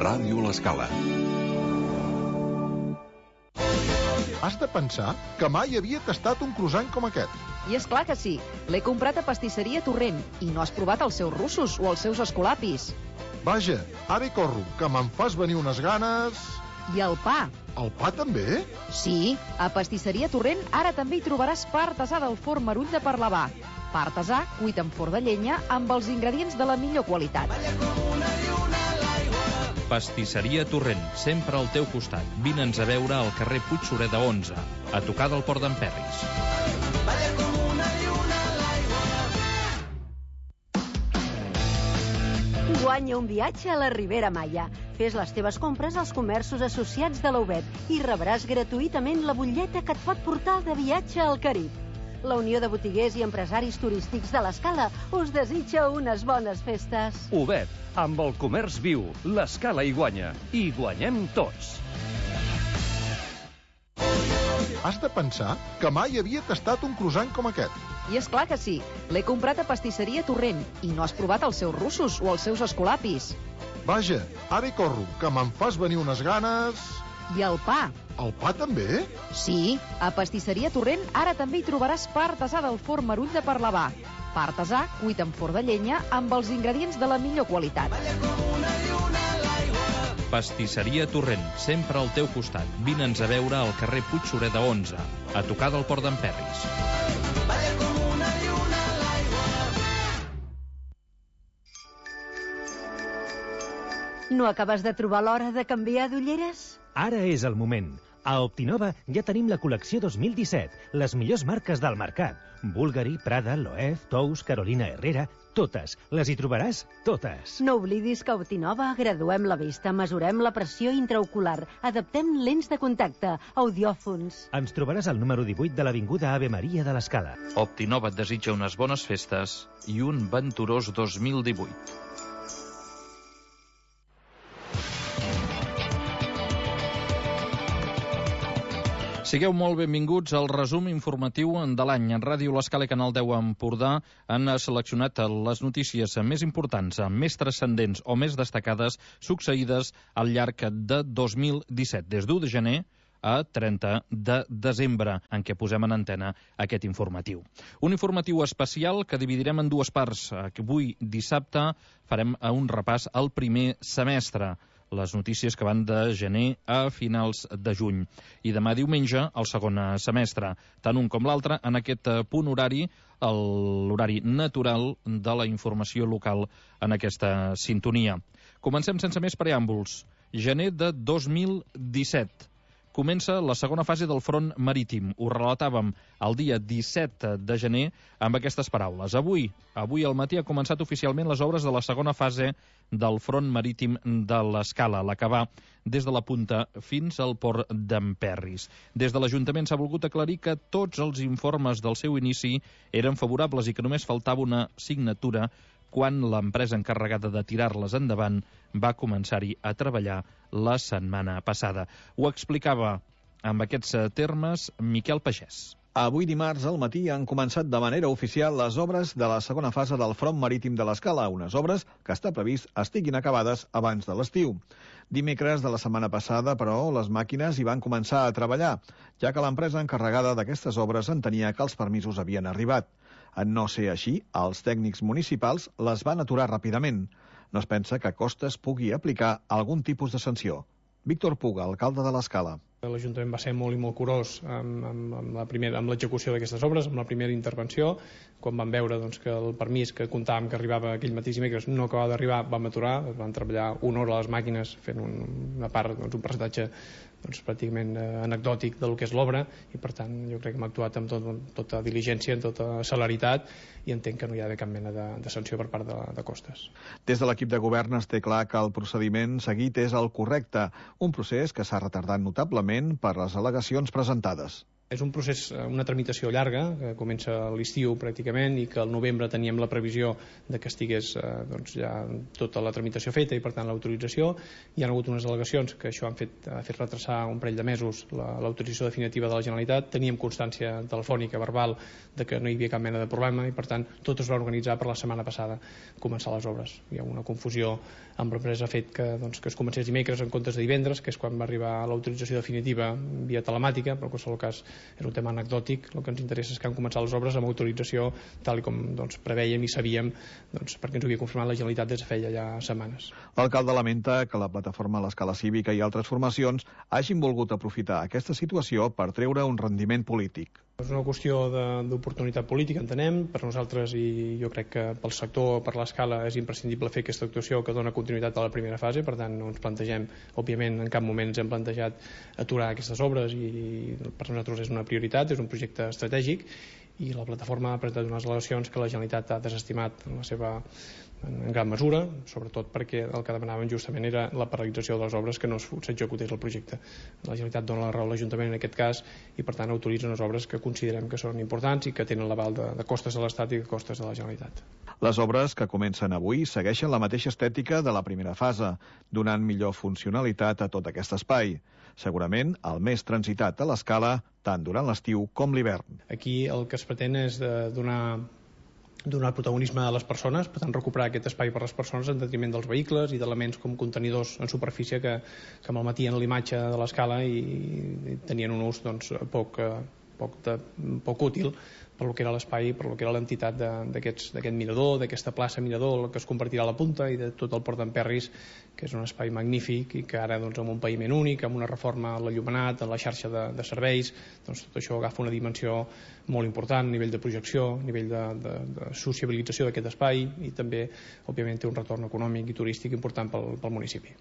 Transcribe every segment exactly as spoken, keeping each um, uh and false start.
Ràdio L'Escala. Has de pensar que mai havia tastat un croissant com aquest. I és clar que sí. L'he comprat a Pastisseria Torrent i no has provat els seus russos o els seus escolapis. Vaja, ara hi corro, que me'n fas venir unes ganes... I el pa. El pa també? Sí, a Pastisseria Torrent ara també hi trobaràs pa artesà del forn Merull de Parlavà. Pa artesà cuit en forn de llenya amb els ingredients de la millor qualitat. Pastisseria Torrent, sempre al teu costat. Vine'ns a veure al carrer Puigsureda onze, a tocar del Port d'en Perris. Guanya un viatge a la Ribera Maya. Fes les teves compres als comerços associats de la U B E T i rebràs gratuïtament la butlleta que et pot portar de viatge al Carib. La Unió de Botiguers i Empresaris Turístics de l'Escala us desitja unes bones festes. U B E T, amb el comerç viu, l'Escala hi guanya. I guanyem tots. Has de pensar que mai havia tastat un croissant com aquest. I és clar que sí. L'he comprat a Pastisseria Torrent i no has provat els seus russos o els seus escolapis. Vaja, ara hi corro, que me'n fas venir unes ganes... I el pa. El pa també? Sí, a Pastisseria Torrent ara també hi trobaràs pa artesà del forn Merull de Parlavà. Pa artesà cuit en forn de llenya amb els ingredients de la millor qualitat. Pastisseria Torrent, sempre al teu costat. Vine'ns a veure al carrer Puigsureda onze, a tocar del Port d'en Perris. No acabes de trobar l'hora de canviar d'ulleres? Ara és el moment. A Optinova ja tenim la col·lecció dos mil disset, les millors marques del mercat. Bulgari, Prada, Loewe, Tous, Carolina Herrera, totes. Les hi trobaràs totes. No oblidis que a Optinova graduem la vista, mesurem la pressió intraocular, adaptem lents de contacte, audiòfons... Ens trobaràs al número divuit de l'Avinguda Ave Maria de l'Escala. Optinova et desitja unes bones festes i un venturós dos mil divuit. Sigueu molt benvinguts al resum informatiu de l'any. En Ràdio L'Escala i Canal deu Empordà han seleccionat les notícies més importants, més transcendents o més destacades succeïdes al llarg de dos mil disset, des d'u de gener a trenta de desembre, en què posem en antena aquest informatiu. Un informatiu especial que dividirem en dues parts. Avui, dissabte, farem un repàs al primer semestre, les notícies que van de gener a finals de juny. I demà diumenge, el segon semestre. Tant un com l'altre, en aquest punt horari, l'horari natural de la informació local en aquesta sintonia. Comencem sense més preàmbuls. Gener de dos mil disset. Comença la segona fase del front marítim. Ho relatàvem el dia disset de gener amb aquestes paraules. Avui, avui al matí ha començat oficialment les obres de la segona fase del front marítim de l'Escala, la que va des de la punta fins al port d'en Perris. Des de l'Ajuntament s'ha volgut aclarir que tots els informes del seu inici eren favorables i que només faltava una signatura quan l'empresa encarregada de tirar-les endavant va començar-hi a treballar la setmana passada. Ho explicava amb aquests termes Miquel Pagès. Avui dimarts al matí han començat de manera oficial les obres de la segona fase del front marítim de l'Escala, unes obres que està previst estiguin acabades abans de l'estiu. Dimecres de la setmana passada, però, les màquines hi van començar a treballar, ja que l'empresa encarregada d'aquestes obres entenia que els permisos havien arribat. En no ser així, els tècnics municipals les van aturar ràpidament. No es pensa que Costes pugui aplicar algun tipus de sanció. Víctor Puga, alcalde de l'Escala. L'Ajuntament va ser molt i molt curós amb, amb, amb la primera, amb l'execució d'aquestes obres, amb la primera intervenció. Quan vam veure doncs, que el permís que comptàvem que arribava aquell mateix dimecres no acabava d'arribar, vam aturar, van treballar una hora a les màquines fent un, una part, doncs, un percentatge doncs, pràcticament eh, anecdòtic del que és l'obra, i per tant jo crec que hem actuat amb tot, tota diligència, amb tota celeritat, i entenc que no hi ha d'haver cap mena de, de sanció per part de, de Costes. Des de l'equip de govern es té clar que el procediment seguit és el correcte, un procés que s'ha retardat notablement per les al·legacions presentades. És un procés, una tramitació llarga, que comença a l'estiu pràcticament i que al novembre teníem la previsió de que estigués eh, doncs ja tota la tramitació feta i per tant l'autorització. Hi ha hagut unes al·legacions que això han fet, ha fet retrasar un parell de mesos l'autorització definitiva de la Generalitat. Teníem constància telefònica, verbal, de que no hi havia cap mena de problema i per tant tot es va organitzar per la setmana passada començar les obres. Hi ha una confusió amb l'empresa, ha fet que, doncs, que es comencés dimecres en comptes de divendres, que és quan va arribar l'autorització definitiva via telemàtica, però en qualsevol cas és un tema anecdòtic. El que ens interessa és que han començat les obres amb autorització tal com doncs, preveiem i sabíem, doncs, perquè ens ho havia confirmat la Generalitat des de feia ja setmanes. L'alcalde lamenta que la plataforma a l'escala cívica i altres formacions hagin volgut aprofitar aquesta situació per treure un rendiment polític. És una qüestió d'oportunitat política, entenem. Per nosaltres, i jo crec que pel sector, per l'escala, és imprescindible fer aquesta actuació que dona continuïtat a la primera fase. Per tant, no ens plantegem, òbviament, en cap moment ens hem plantejat aturar aquestes obres i per nosaltres és una prioritat, és un projecte estratègic i la plataforma ha presentat unes al·legacions que la Generalitat ha desestimat en la seva en gran mesura, sobretot perquè el que demanaven justament era la paralització de les obres, que no s'executés el projecte. La Generalitat dona la raó a l'Ajuntament en aquest cas i per tant autoritza unes obres que considerem que són importants i que tenen l'aval de, de costes de l'Estat i de costes de la Generalitat. Les obres que comencen avui segueixen la mateixa estètica de la primera fase, donant millor funcionalitat a tot aquest espai. Segurament el més transitat a l'escala tant durant l'estiu com l'hivern. Aquí el que es pretén és de donar donar protagonisme a les persones, per tant recuperar aquest espai per a les persones en detriment dels vehicles i d'elements com contenidors en superfície que, que malmetien l'imatge de l'escala i, i tenien un ús doncs, poc, poc, de, poc útil per lo que era l'espai, per lo que era l'entitat d'aquest mirador, d'aquesta plaça mirador que es convertirà a la punta i de tot el port d'Emperris, que és un espai magnífic i que ara doncs, amb un paviment únic, amb una reforma a l'enllumenat, a la xarxa de, de serveis, doncs tot això agafa una dimensió molt important a nivell de projecció, a nivell de, de, de sociabilització d'aquest espai i també, òbviament, té un retorn econòmic i turístic important pel, pel municipi.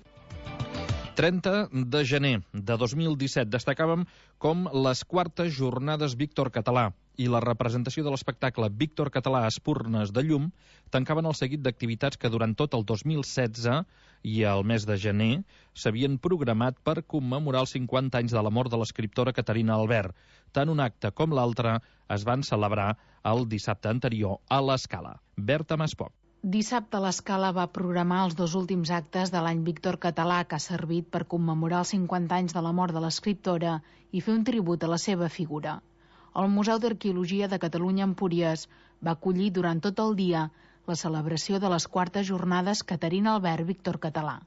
trenta de gener de dos mil disset destacàvem com les quartes jornades Víctor Català i la representació de l'espectacle Víctor Català a Espurnes de Llum tancaven el seguit d'activitats que durant tot el dos mil setze i el mes de gener s'havien programat per commemorar els cinquanta anys de la mort de l'escriptora Caterina Albert. Tant un acte com l'altre es van celebrar el dissabte anterior a l'Escala. Berta Maspoc. Dissabte l'Escala va programar els dos últims actes de l'any Víctor Català, que ha servit per commemorar els cinquanta anys de la mort de l'escriptora i fer un tribut a la seva figura. El Museu d'Arqueologia de Catalunya Empúries va acollir durant tot el dia la celebració de les quartes jornades Caterina Albert Víctor Català.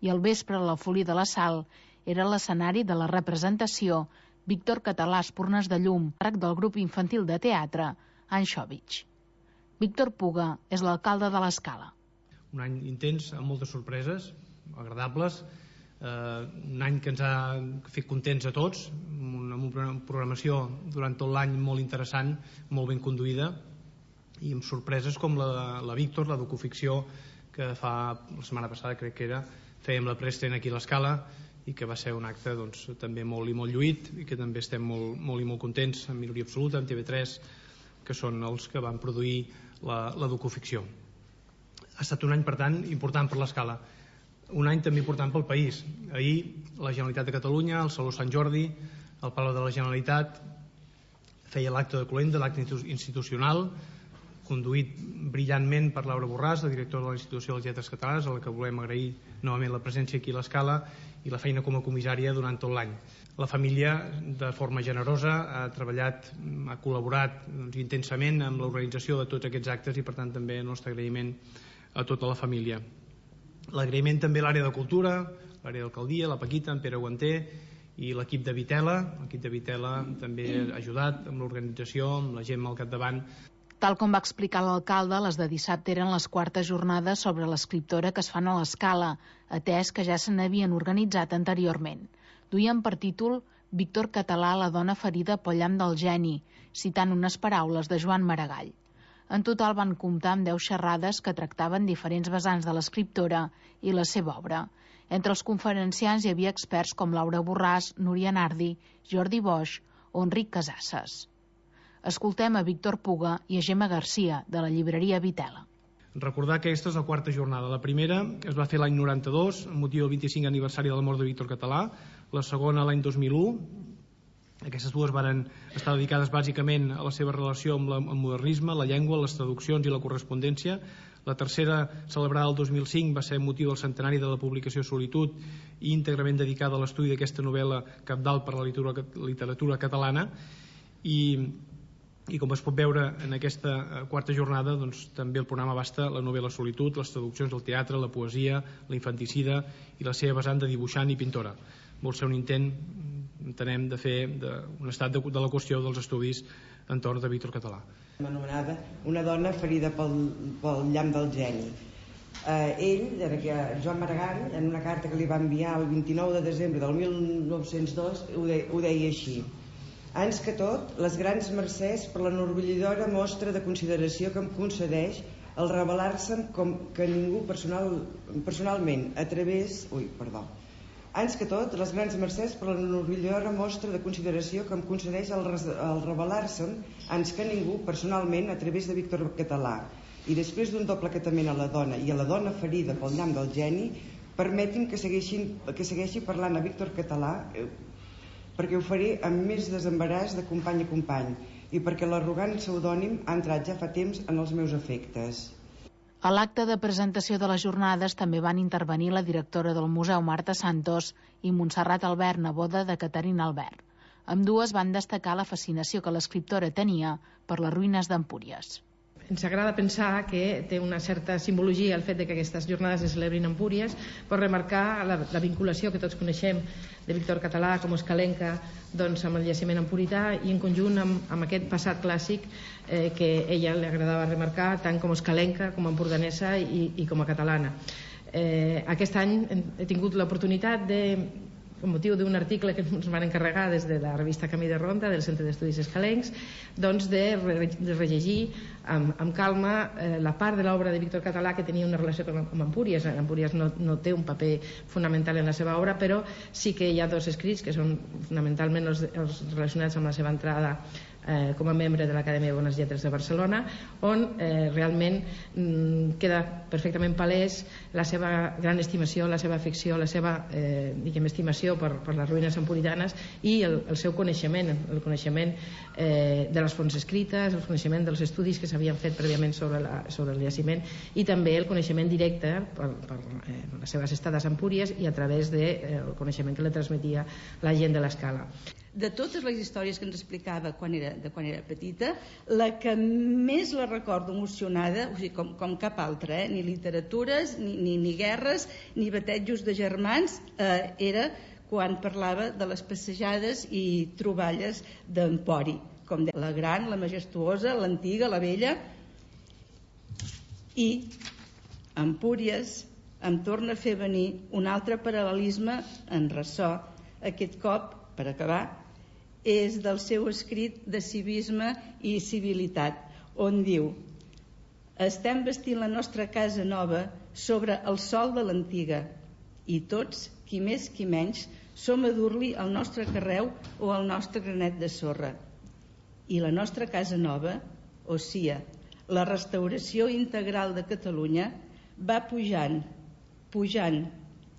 I al vespre la Folia de la Sal era l'escenari de la representació Víctor Català Espurnes de Llum, càrrec del grup infantil de teatre Anxòvitx. Víctor Puga és l'alcalde de l'Escala. Un any intens, amb moltes sorpreses, agradables, eh, un any que ens ha fet contents a tots, amb una programació durant tot l'any molt interessant, molt ben conduïda, i amb sorpreses com la, la Víctor, la docuficció que fa la setmana passada, crec que era, fèiem la preestrena aquí a l'Escala, i que va ser un acte doncs, també molt i molt lluït, i que també estem molt, molt i molt contents, amb minoria absoluta, amb T V tres, que són els que van produir la, la docuficció. Ha estat un any, per tant, important per l'Escala. Un any també important pel país. Ahir, la Generalitat de Catalunya, el Saló Sant Jordi, el Palau de la Generalitat, feia l'acte de cloenda, l'acte institucional, conduït brillantment per Laura Borràs, la directora de l'Institució de les Lletres Catalanes, a la que volem agrair novament la presència aquí a l'Escala i la feina com a comissària durant tot l'any. La família, de forma generosa, ha treballat, ha col·laborat doncs, intensament amb l'organització de tots aquests actes i, per tant, també el nostre agraïment a tota la família. L'agraïment també a l'àrea de cultura, l'àrea d'alcaldia, la Paquita, en Pere Guanter i l'equip de Vitela. L'equip de Vitela també ha ajudat amb l'organització, amb la gent al capdavant. Tal com va explicar l'alcalde, les de dissabte eren les quartes jornades sobre l'escriptora que es fan a l'Escala, atès que ja se n'havien organitzat anteriorment. Duien per títol Víctor Català, la dona ferida pel llamp del geni, citant unes paraules de Joan Maragall. En total van comptar amb deu xerrades que tractaven diferents vessants de l'escriptora i la seva obra. Entre els conferenciants hi havia experts com Laura Borràs, Núria Nardi, Jordi Boix o Enric Casasses. Escoltem a Víctor Puga i a Gemma Garcia, de la llibreria Vitela. Recordar que aquesta és la quarta jornada. La primera es va fer l'any noranta-dos, amb motiu del vint-i-cinquè aniversari de la mort de Víctor Català. La segona l'any dos mil u, Aquestes dues van estar dedicades bàsicament a la seva relació amb el modernisme, la llengua, les traduccions i la correspondència. La tercera, celebrada el dos mil cinc, va ser motiu del centenari de la publicació Solitud i íntegrament dedicada a l'estudi d'aquesta novel·la cabdal per a la literatura catalana. I, i com es pot veure en aquesta quarta jornada, doncs, també el programa abasta la novel·la Solitud, les traduccions del teatre, la poesia, la infanticida i la seva vessant de dibuixant i pintora. Vol ser un intent, entenem, de fer de, un estat de, de la qüestió dels estudis entorn de Víctor Català. Anomenada Una dona ferida pel, pel llamp del geni. Eh, ell, Joan Maragall, en una carta que li va enviar el vint-i-nou de desembre del mil nou-cents dos, ho, de, ho deia així: ans que tot, les grans mercès per l'enorgullidora mostra de consideració que em concedeix el revelar-se'n com que ningú personal, personalment a través... Ui, perdó. Ans que tot, les grans mercès per l'enorgullidora mostra de consideració que em concedeix el, el revelar-se'n ans que ningú personalment a través de Víctor Català. I després d'un doble acatament a la dona i a la dona ferida pel llamp del geni, permeti'm que, que segueixi parlant a Víctor Català, eh, perquè ho faré amb més desembaràs de company a company i perquè l'arrogant pseudònim ha entrat ja fa temps en els meus efectes. A l'acte de presentació de les jornades també van intervenir la directora del Museu, Marta Santos, i Montserrat Albert, neboda de Caterina Albert. Ambdues van destacar la fascinació que l'escriptora tenia per les ruïnes d'Empúries. Ens agrada pensar que té una certa simbologia el fet de que aquestes jornades es celebrin a Empúries per remarcar la, la vinculació que tots coneixem de Víctor Català com escalenca doncs, amb el jaciment empurità i en conjunt amb, amb aquest passat clàssic eh, que a ella li agradava remarcar tant com escalenca, com empordanesa i, i com a catalana. Eh, aquest any he tingut l'oportunitat de, amb motiu d'un article que ens van encarregar des de la revista Camí de Ronda del Centre d'Estudis Escalencs, doncs de, re, de rellegir amb, amb calma eh, la part de l'obra de Víctor Català que tenia una relació amb, amb Empúries. Empúries no, no té un paper fonamental en la seva obra, però sí que hi ha dos escrits que són fonamentalment els, els relacionats amb la seva entrada Eh, com a membre de l'Acadèmia de Bones Lletres de Barcelona, on eh, realment mm, queda perfectament palès la seva gran estimació, la seva afecció, la seva eh, diguem, estimació per, per les ruïnes empuritanes i el, el seu coneixement, el coneixement eh, de les fonts escrites, el coneixement dels estudis que s'havien fet prèviament sobre, la, sobre el jaciment i també el coneixement directe per, per eh, les seves estades a Empúries i a través del de, eh, coneixement que li transmetia la gent de l'Escala. De totes les històries que ens explicava quan era, de quan era petita, la que més la recordo emocionada, o sigui, com, com cap altra, eh? ni literatures, ni, ni, ni guerres, ni batejos de germans, eh, era quan parlava de les passejades i troballes d'Empori, com de la gran, la majestuosa, l'antiga, la vella. I Empúries em torna a fer venir un altre paral·lelisme en ressò, aquest cop, per acabar, és del seu escrit de civisme i civilitat, on diu: estem vestint la nostra casa nova sobre el sol de l'antiga i tots, qui més qui menys, som a dur-li el nostre carreu o el nostre granet de sorra. I la nostra casa nova, o sia, la restauració integral de Catalunya, va pujant, pujant,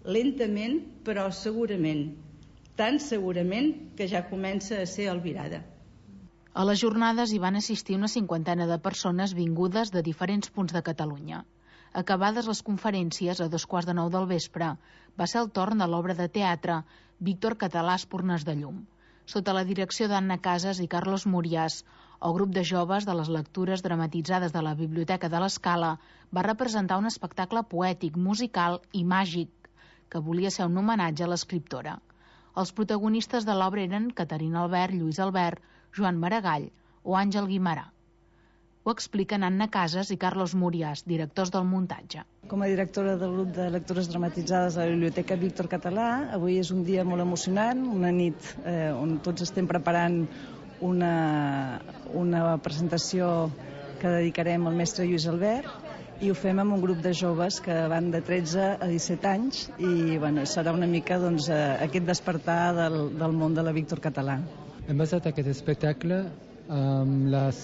lentament però segurament, tan segurament que ja comença a ser albirada. A les jornades hi van assistir una cinquantena de persones vingudes de diferents punts de Catalunya. Acabades les conferències, a dos quarts de nou del vespre, va ser el torn de l'obra de teatre Víctor Català, Espurnes de llum. Sota la direcció d'Anna Casas i Carlos Murias, el grup de joves de les lectures dramatitzades de la Biblioteca de l'Escala va representar un espectacle poètic, musical i màgic, que volia ser un homenatge a l'escriptora. Els protagonistes de l'obra eren Caterina Albert, Lluís Albert, Joan Maragall o Àngel Guimarà. Ho expliquen Anna Casas i Carlos Murias, directors del muntatge. Com a directora del grup de lectures dramatitzades de la Biblioteca Víctor Català, avui és un dia molt emocionant, una nit eh, on tots estem preparant una, una presentació que dedicarem al mestre Lluís Albert, i ho fem amb un grup de joves que van de tretze a disset anys i bueno, serà una mica doncs, aquest despertar del, del món de la Víctor Català. Hem basat aquest espectacle um, les,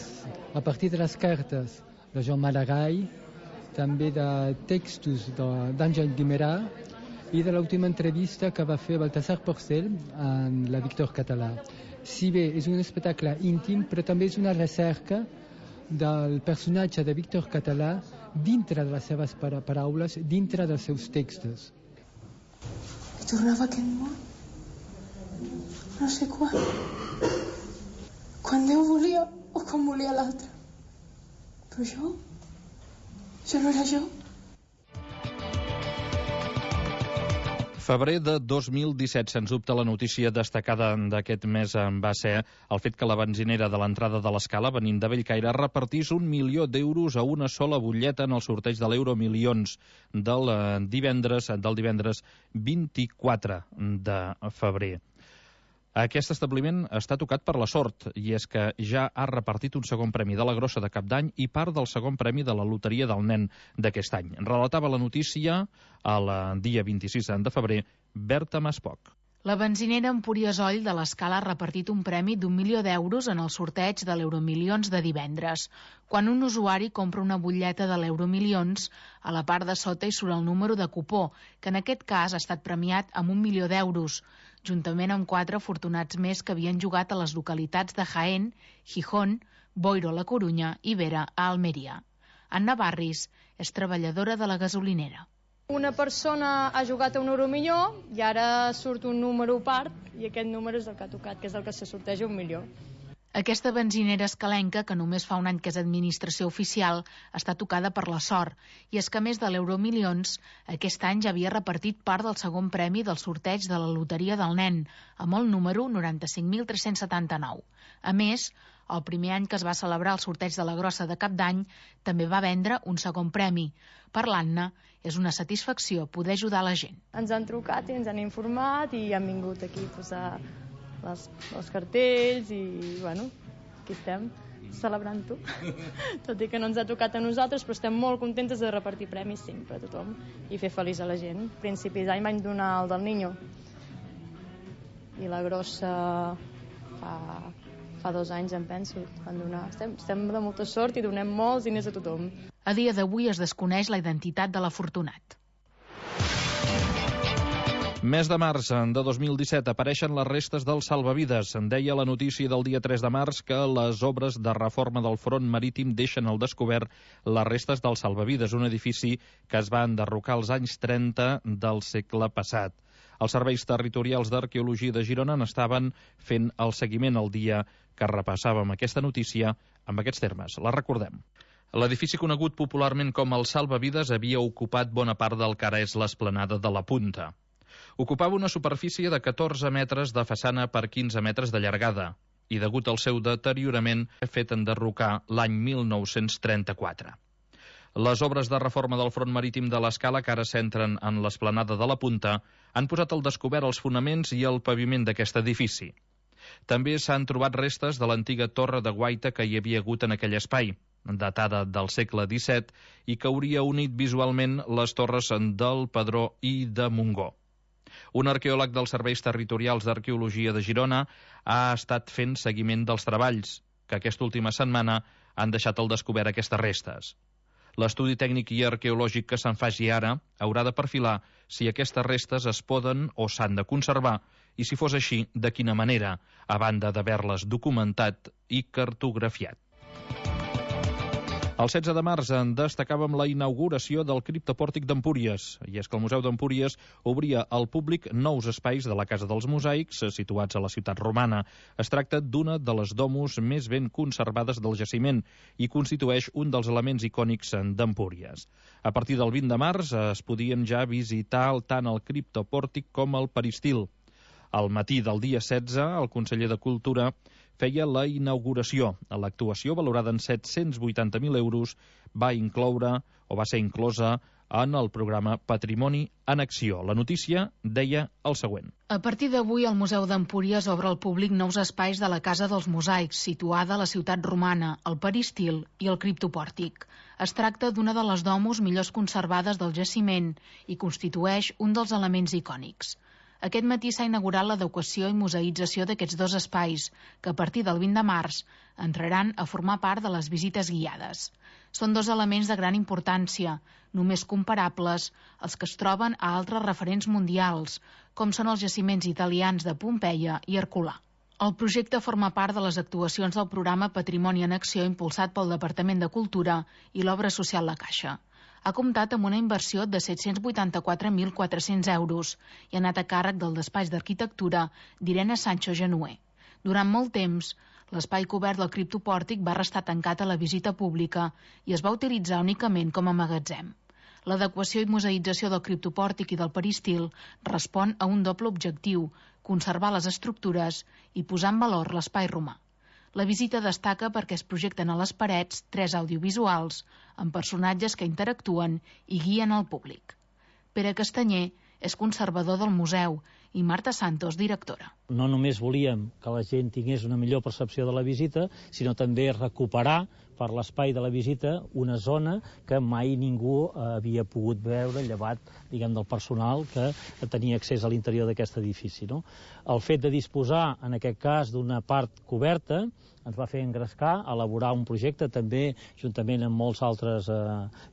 a partir de les cartes de Joan Maragall, també de textos d'Àngel Guimarà i de l'última entrevista que va fer Baltasar Porcel en la Víctor Català. si bé és un espectacle íntim, però també és una recerca del personatge de Víctor Català dintre de les seves paraules, dintre dels seus textos. I tornava a aquest món. No sé quan. Quan Déu volia o quan volia l'altre. Però jo... Jo no era jo. Febrer de dos mil disset, sens dubte la notícia destacada d'aquest mes va ser el fet que la benzinera de l'entrada de l'Escala, venint de Bellcaire, repartís un milió d'euros a una sola butlleta en el sorteig de l'Euromilions del divendres, del divendres vint-i-quatre de febrer. Aquest establiment està tocat per la sort, i és que ja ha repartit un segon premi de la grossa de Cap d'Any i part del segon premi de la loteria del nen d'aquest any. Relatava la notícia el dia vint-i-sis de febrer, Berta Maspoc. La benzinera Empúries Oll de l'Escala ha repartit un premi d'un milió d'euros en el sorteig de l'Euromilions de divendres. Quan un usuari compra una butlleta de l'Euromilions, a la part de sota hi surt el número de cupó, que en aquest cas ha estat premiat amb un milió d'euros, juntament amb quatre afortunats més que havien jugat a les localitats de Jaén, Gijón, Boiro a la Corunya i Vera a Almeria. Anna Barris és treballadora de la gasolinera. Una persona ha jugat a un euromilló i ara surt un número a part i aquest número és el que ha tocat, que és el que se sorteja un milió. Aquesta benzinera escalenca, que només fa un any que és administració oficial, està tocada per la sort, i és que a més de l'Euromilions, aquest any ja havia repartit part del segon premi del sorteig de la loteria del nen, amb el número noranta-cinc mil tres-cents setanta-nou. A més, el primer any que es va celebrar el sorteig de la grossa de Cap d'Any, també va vendre un segon premi. Per l'Anna, és una satisfacció poder ajudar la gent. Ens han trucat i ens han informat i han vingut aquí a posar les, els cartells i, bueno, aquí estem, celebrant-ho. Tot i que no ens ha tocat a nosaltres, però estem molt contentes de repartir premis sempre a tothom i fer feliç a la gent. A principis d'any vam donar el del Niño i la grossa fa, fa dos anys, em penso, van donar. Estem, estem de molta sort i donem molts diners a tothom. A dia d'avui es desconeix la identitat de l'afortunat. Mes de març de dos mil disset apareixen les restes del salvavides. En deia la notícia del dia tres de març que les obres de reforma del front marítim deixen al descobert les restes del salvavides, un edifici que es va enderrocar als anys trenta del segle passat. Els serveis territorials d'arqueologia de Girona n'estaven fent el seguiment el dia que repassàvem aquesta notícia amb aquests termes. La recordem. L'edifici conegut popularment com el Salvavides havia ocupat bona part del que ara és l'esplanada de la Punta. Ocupava una superfície de catorze metres de façana per quinze metres de llargada i, degut al seu deteriorament, ha fet enderrocar l'any mil nou-cents trenta-quatre. Les obres de reforma del front marítim de l'Escala, que ara s'entren en l'esplanada de la Punta, han posat al descobert els fonaments i el paviment d'aquest edifici. També s'han trobat restes de l'antiga torre de guaita que hi havia hagut en aquell espai, datada del segle disset, i que hauria unit visualment les torres del Pedró i de Montgó. Un arqueòleg dels Serveis Territorials d'Arqueologia de Girona ha estat fent seguiment dels treballs, que aquesta última setmana han deixat al descobert aquestes restes. L'estudi tècnic i arqueològic que se'n faci ara haurà de perfilar si aquestes restes es poden o s'han de conservar i, si fos així, de quina manera, a banda d'haver-les documentat i cartografiat. El setze de març en destacàvem la inauguració del criptopòrtic d'Empúries, i és que el Museu d'Empúries obria al públic nous espais de la Casa dels Mosaics, situats a la ciutat romana. Es tracta d'una de les domus més ben conservades del jaciment i constitueix un dels elements icònics d'Empúries. A partir del vint de març es podien ja visitar tant el criptopòrtic com el peristil. Al matí del dia setze, el conseller de Cultura feia la inauguració. L'actuació, valorada en set-cents vuitanta mil euros, va incloure o va ser inclosa en el programa Patrimoni en Acció. La notícia deia el següent. A partir d'avui, el Museu d'Empúries obre al públic nous espais de la Casa dels Mosaics, situada a la ciutat romana, el peristil i el criptopòrtic. Es tracta d'una de les domus millors conservades del jaciment i constitueix un dels elements icònics. Aquest matí s'ha inaugurat l'adequació i museïtzació d'aquests dos espais, que a partir del vint de març entraran a formar part de les visites guiades. Són dos elements de gran importància, només comparables als que es troben a altres referents mundials, com són els jaciments italians de Pompeia i Herculà. El projecte forma part de les actuacions del programa Patrimoni en Acció impulsat pel Departament de Cultura i l'Obra Social La Caixa. Ha comptat amb una inversió de set-cents vuitanta-quatre mil quatre-cents euros i ha anat a càrrec del despatx d'arquitectura d'Irene Sancho Genuer. Durant molt temps, l'espai cobert del criptopòrtic va restar tancat a la visita pública i es va utilitzar únicament com a magatzem. L'adequació i museïtzació del criptopòrtic i del peristil respon a un doble objectiu, conservar les estructures i posar en valor l'espai romà. La visita destaca perquè es projecten a les parets tres audiovisuals amb personatges que interactuen i guien el públic. Pere Castanyer és conservador del museu i Marta Santos, directora. No només volíem que la gent tingués una millor percepció de la visita, sinó també recuperar per l'espai de la visita una zona que mai ningú havia pogut veure, llevat, diguem, del personal que tenia accés a l'interior d'aquest edifici, no? El fet de disposar, en aquest cas, d'una part coberta ens va fer engrescar, elaborar un projecte també juntament amb molts altres eh,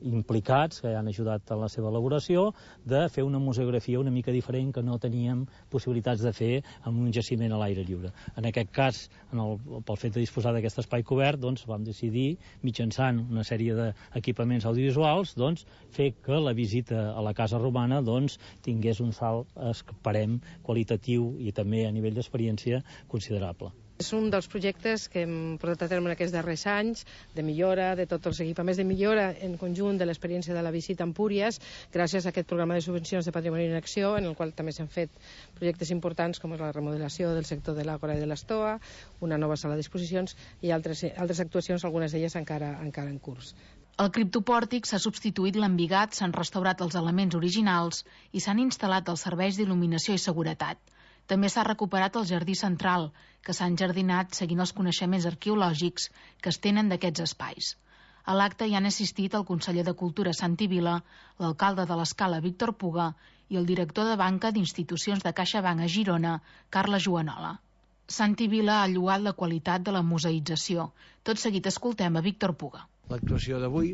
implicats que han ajudat en la seva elaboració, de fer una museografia una mica diferent que no teníem possibilitats de fer amb un jaciment a l'aire lliure. En aquest cas, en el, pel fet de disposar d'aquest espai cobert, doncs, vam decidir, mitjançant una sèrie d'equipaments audiovisuals, doncs, fer que la visita a la Casa Romana doncs, tingués un salt, esperem, qualitatiu i també a nivell d'experiència considerable. És un dels projectes que hem portat a terme en aquests darrers anys, de millora, de tots els equipaments de millora en conjunt de l'experiència de la visita a Empúries, gràcies a aquest programa de subvencions de Patrimoni en Acció, en el qual també s'han fet projectes importants com és la remodelació del sector de l'Àgora i de l'Estoa, una nova sala d'exposicions i altres, altres actuacions, algunes d'elles encara, encara en curs. Al criptopòrtic s'ha substituït l'embigat, s'han restaurat els elements originals i s'han instal·lat els serveis d'il·luminació i seguretat. També s'ha recuperat el jardí central, que s'ha enjardinat seguint els coneixements arqueològics que es tenen d'aquests espais. A l'acte hi han assistit el conseller de Cultura Santi Vila, l'alcalde de l'Escala Víctor Puga i el director de banca d'institucions de CaixaBank a Girona, Carles Joanola. Santi Vila ha lloat la qualitat de la museïtzació. Tot seguit escoltem a Víctor Puga. L'actuació d'avui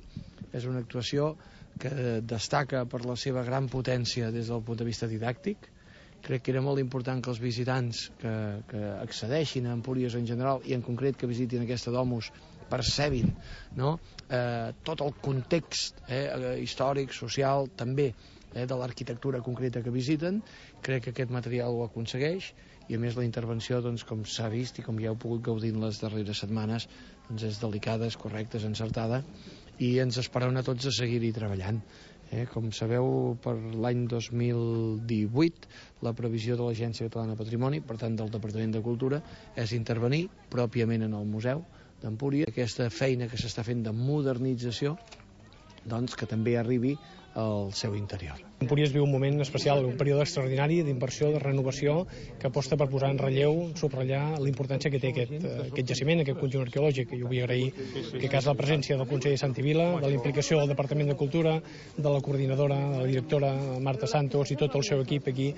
és una actuació que destaca per la seva gran potència des del punt de vista didàctic. Crec que era molt important que els visitants que, que accedeixin a Empúries en general i en concret que visitin aquesta domus percebin, no? eh, tot el context eh, històric, social, també eh, de l'arquitectura concreta que visiten. Crec que aquest material ho aconsegueix i a més la intervenció, doncs, com s'ha vist i com ja heu pogut gaudir en les darreres setmanes, doncs és delicada, és correcta, és encertada i ens esperem a tots a seguir-hi treballant. Eh, com sabeu, per l'any dos mil divuit la previsió de l'Agència Catalana de Patrimoni, per tant del Departament de Cultura, és intervenir pròpiament en el Museu d'Empúries. Aquesta feina que s'està fent de modernització, doncs que també arribi al seu interior. Empúries viu un moment especial, un període extraordinari d'inversió, de renovació, que aposta per posar en relleu, subratllar la importància que té aquest, aquest jaciment, aquest conjunt arqueològic. Jo vull agrair que cas la presència del conseller Santi Vila, de la implicació del Departament de Cultura, de la coordinadora, de la directora Marta Santos i tot el seu equip aquí,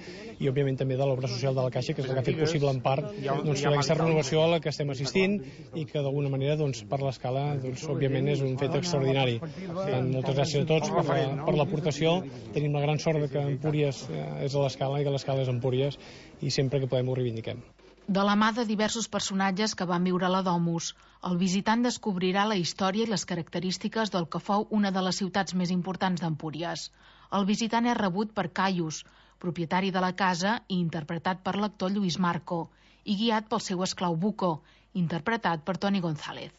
i òbviament també de l'Obra Social de la Caixa, que és la que ha fet possible en part doncs, aquesta renovació a la que estem assistint i que d'alguna manera doncs, per l'escala doncs, òbviament és un fet extraordinari. Per tant, moltes gràcies a tots per la, per l'aportació. Tenim la gran sort de que Empúries és a l'Escala i que l'Escala és Empúries i sempre que podem ho reivindiquem. De la mà de diversos personatges que van viure a la Domus, el visitant descobrirà la història i les característiques del que fou una de les ciutats més importants d'Empúries. El visitant és rebut per Caius, propietari de la casa i interpretat per l'actor Lluís Marco, i guiat pel seu esclau Buco, interpretat per Toni González.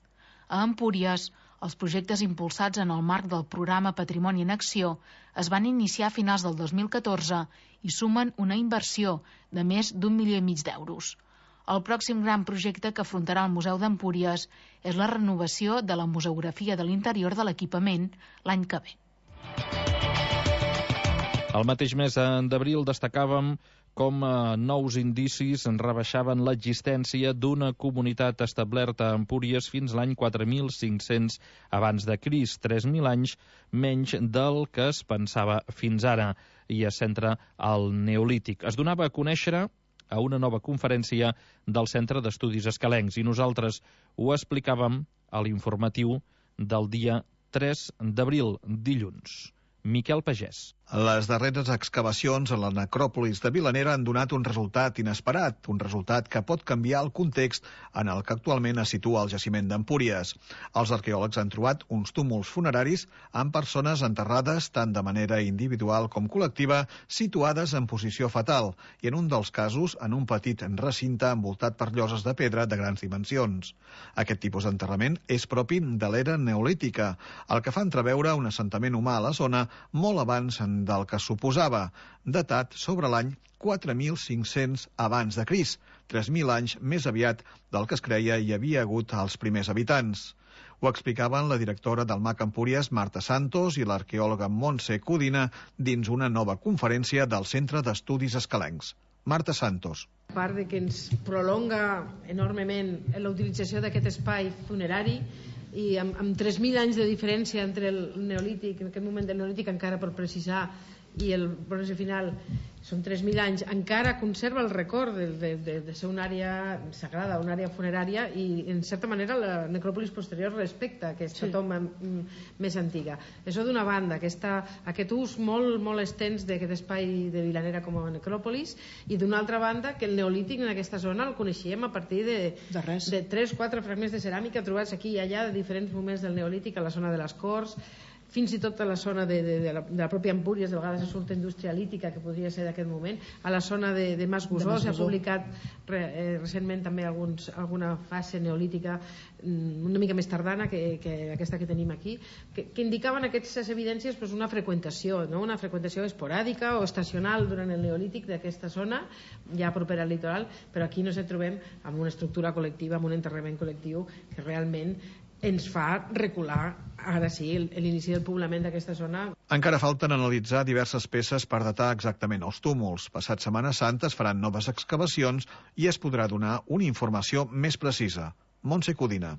A Empúries, els projectes impulsats en el marc del programa Patrimoni en Acció es van iniciar a finals del dos mil catorze i sumen una inversió de més d'un milió i mig d'euros. El pròxim gran projecte que afrontarà el Museu d'Empúries és la renovació de la museografia de l'interior de l'equipament l'any que ve. El mateix mes d'abril destacàvem com nous indicis rebaixaven l'existència d'una comunitat establerta a Empúries fins l'any quatre mil cinc-cents abans de Crist, tres mil anys menys del que es pensava fins ara, i es centra al Neolític. Es donava a conèixer a una nova conferència del Centre d'Estudis Escalencs i nosaltres ho explicàvem a l'informatiu del dia tres d'abril, dilluns. Miquel Pagès. Les darreres excavacions a la necròpolis de Vilanera han donat un resultat inesperat, un resultat que pot canviar el context en el que actualment es situa el jaciment d'Empúries. Els arqueòlegs han trobat uns túmuls funeraris amb persones enterrades tant de manera individual com col·lectiva, situades en posició fetal, i en un dels casos en un petit recinte envoltat per lloses de pedra de grans dimensions. Aquest tipus d'enterrament és propi de l'era neolítica, el que fa entreveure un assentament humà a la zona molt abans del que suposava, datat sobre l'any quatre mil cinc-cents abans de Crist, tres mil anys més aviat del que es creia hi havia hagut als primers habitants. Ho explicaven la directora del M A C Empúries, Marta Santos, i l'arqueòloga Montse Codina dins una nova conferència del Centre d'Estudis Escalencs. Marta Santos. A part de que ens prolonga enormement la utilització d'aquest espai funerari, i amb, amb tres mil anys de diferència entre el neolític, en aquest moment del neolític encara per precisar, i el bronze final són tres mil anys, encara conserva el record de, de, de, de ser una àrea sagrada, una àrea funerària, i en certa manera la necròpolis posterior respecta aquesta sí. tomba més antiga. Això d'una banda, aquesta, aquest ús molt, molt extens d'aquest espai de Vilanera com a necròpolis, i d'una altra banda que el neolític en aquesta zona el coneixíem a partir de, de, de tres o quatre fragments de ceràmica trobats aquí i allà de diferents moments del neolític, a la zona de les Corts, fins i tot a la zona de, de, de, la, de la pròpia Empúries, de vegades surt indústria lítica, que podria ser d'aquest moment, a la zona de, de Mas Gusó, s'ha publicat re, eh, recentment també alguns, alguna fase neolítica una mica més tardana que, que aquesta que tenim aquí, que, que indicaven aquestes evidències pues, una freqüentació, no? Una freqüentació esporàdica o estacional durant el neolític d'aquesta zona, ja propera al litoral, però aquí no ens trobem amb una estructura col·lectiva, amb un enterrament col·lectiu que realment ens fa recular, ara sí, l'inici del poblament d'aquesta zona. Encara falten analitzar diverses peces per datar exactament els túmuls. Passat Setmana Santa es faran noves excavacions i es podrà donar una informació més precisa. Montse Codina.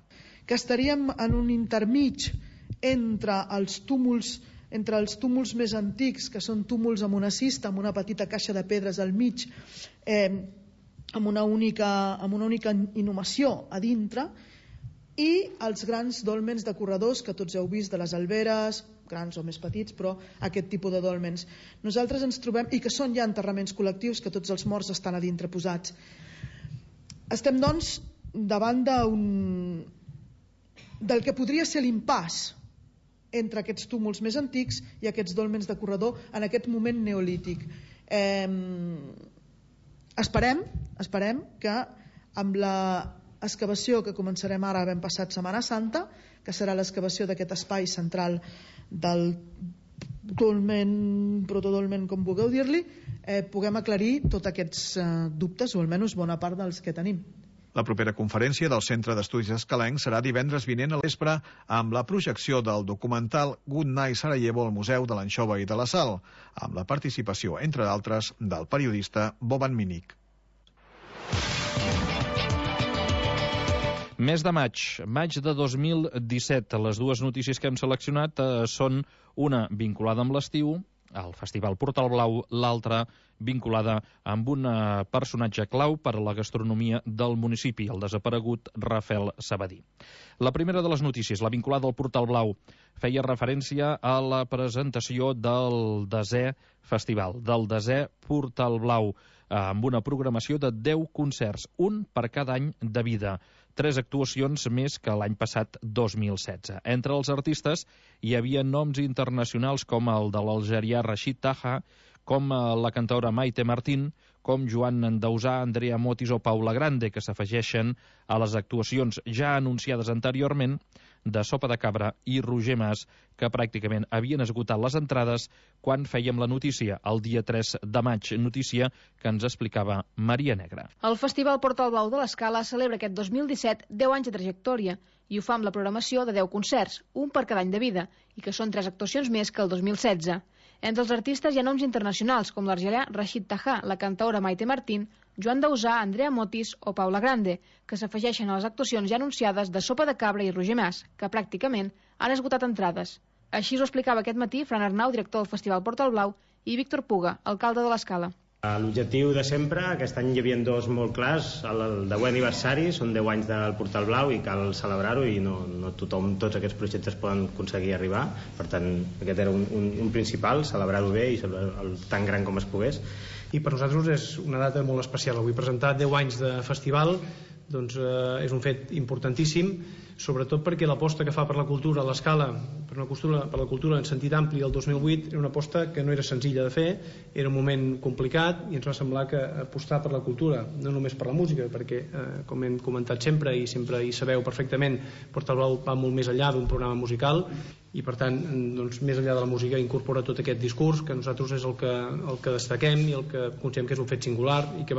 Que estaríem en un intermig entre els túmuls entre els túmuls més antics, que són túmuls amb una cista, amb una petita caixa de pedres al mig, eh, amb, una única, amb una única inhumació a dintre, i els grans dòlmens de corredors que tots heu vist de les alberes, grans o més petits, però aquest tipus de dòlmens. Nosaltres ens trobem, i que són ja enterraments col·lectius, que tots els morts estan a dintre posats. Estem, doncs, davant d'un del que podria ser l'impàs entre aquests túmuls més antics i aquests dòlmens de corredor en aquest moment neolític. Eh, esperem, esperem que amb la excavació que començarem ara ben passat Setmana Santa, que serà l'excavació d'aquest espai central del dolmen, protodolmen, com vulgueu dir-li, eh, puguem aclarir tots aquests eh, dubtes, o almenys bona part dels que tenim. La propera conferència del Centre d'Estudis Escalencs serà divendres vinent a l'espre amb la projecció del documental Good Night Sarajevo al Museu de l'Anxova i de la Sal, amb la participació, entre d'altres, del periodista Boban Minic. Mes de maig, maig de dos mil disset. Les dues notícies que hem seleccionat eh, són una vinculada amb l'estiu, el Festival Portal Blau, l'altra vinculada amb un eh, personatge clau per a la gastronomia del municipi, el desaparegut Rafael Sabadí. La primera de les notícies, la vinculada al Portal Blau, feia referència a la presentació del desè festival, del desè Portal Blau, eh, amb una programació de deu concerts, un per cada any de vida. Tres actuacions més que l'any passat dos mil setze. Entre els artistes hi havia noms internacionals com el de l'algerià Rachid Taha, com la cantaora Maite Martín, com Joan Dausà, Andrea Motis o Paula Grande, que s'afegeixen a les actuacions ja anunciades anteriorment de Sopa de Cabra i Roger Mas, que pràcticament havien esgotat les entrades quan fèiem la notícia, el dia tres de maig, notícia que ens explicava Maria Negra. El Festival Portal Blau de l'Escala celebra aquest dos mil disset deu anys de trajectòria i ho fa amb la programació de deu concerts, un per cada any de vida, i que són tres actuacions més que el dos mil setze. Entre els artistes hi ha noms internacionals, com l'argelià Rachid Taha, la cantaora Maite Martín, Joan Dausà, Andrea Motis o Paula Grande, que s'afegeixen a les actuacions ja anunciades de Sopa de Cabra i Roger Mas, que pràcticament han esgotat entrades. Així ho explicava aquest matí Fran Arnau, director del Festival Portal Blau, i Víctor Puga, alcalde de l'Escala. L'objectiu de sempre, aquest any hi havia dos molt clars, el deuè aniversari, són deu anys del Portal Blau i cal celebrar-ho i no, no tothom, tots aquests projectes poden aconseguir arribar, per tant aquest era un, un, un principal, celebrar-ho bé i celebrar-ho tan gran com es pogués. I per nosaltres és una data molt especial, avui presentar deu anys de festival doncs, eh, és un fet importantíssim, sobretot perquè l'aposta que fa per la cultura a l'Escala, per, una cultura, per la cultura en sentit ampli el dos mil vuit, era una aposta que no era senzilla de fer, era un moment complicat i ens va semblar que apostar per la cultura, no només per la música, perquè eh, com hem comentat sempre i sempre hi sabeu perfectament, Portal Blau va molt més enllà d'un programa musical i per tant, doncs, més enllà de la música incorpora tot aquest discurs que nosaltres és el que, el que destaquem i el que considerem que és un fet singular i que